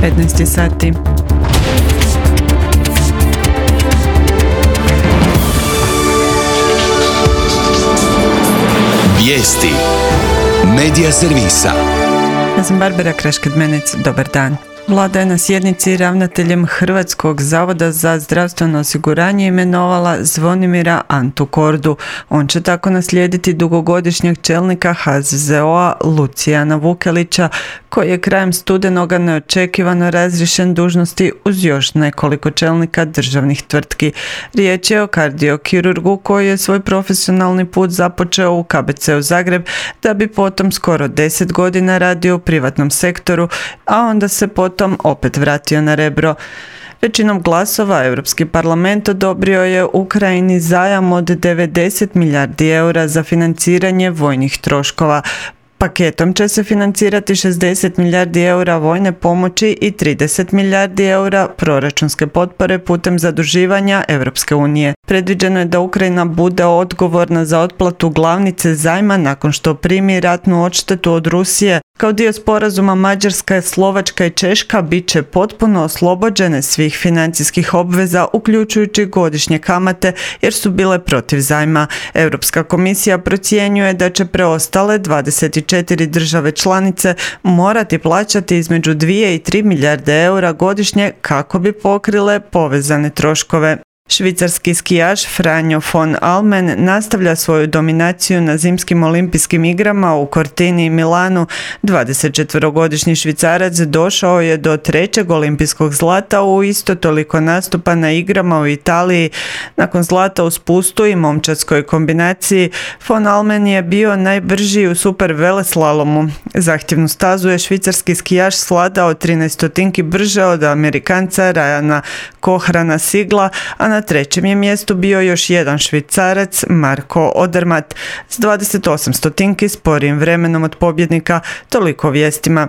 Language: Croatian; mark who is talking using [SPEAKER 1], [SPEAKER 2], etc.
[SPEAKER 1] 15 sati.
[SPEAKER 2] Vijesti Medija servisa.
[SPEAKER 1] Ja sam Barbara Krašked-Menec, dobar dan. Vlada je na sjednici ravnateljem Hrvatskog zavoda za zdravstveno osiguranje imenovala Zvonimira Antu Kordu. On će tako naslijediti dugogodišnjeg čelnika HZZO-a Lucijana Vukelića, koji je krajem studenoga neočekivano razriješen dužnosti uz još nekoliko čelnika državnih tvrtki. Riječ je o kardiokirurgu koji je svoj profesionalni put započeo u KBC-u Zagreb, da bi potom skoro 10 godina radio u privatnom sektoru, a onda se potom opet vratio na Rebro. Većinom glasova Europski parlament odobrio je Ukrajini zajam od 90 milijardi eura za financiranje vojnih troškova. Paketom će se financirati 60 milijardi eura vojne pomoći i 30 milijardi eura proračunske potpore putem zaduživanja Europske unije. Predviđeno je da Ukrajina bude odgovorna za otplatu glavnice zajma nakon što primi ratnu odštetu od Rusije. Kao dio sporazuma Mađarska, Slovačka i Češka bit će potpuno oslobođene svih financijskih obveza, uključujući godišnje kamate, jer su bile protiv zajma. Europska komisija procjenjuje da će preostale 24 države članice morati plaćati između 2 i 3 milijarde eura godišnje kako bi pokrile povezane troškove. Švicarski skijaš Franjo von Almen nastavlja svoju dominaciju na zimskim olimpijskim igrama u Cortini i Milanu. 24-godišnji Švicarac došao je do 3. olimpijskog zlata u isto toliko nastupa na igrama u Italiji. Nakon zlata u spustu i momčadskoj kombinaciji, von Almen je bio najbrži u super veleslalomu. Zahtjevnu stazu je švicarski skijaš svladao 13 stotinki brže od Amerikanca Ryana Kohrana Sigla, a na trećem je mjestu bio još jedan Švicarac, Marko Odermatt, s 28 stotinki sporijim vremenom od pobjednika. Toliko vijestima.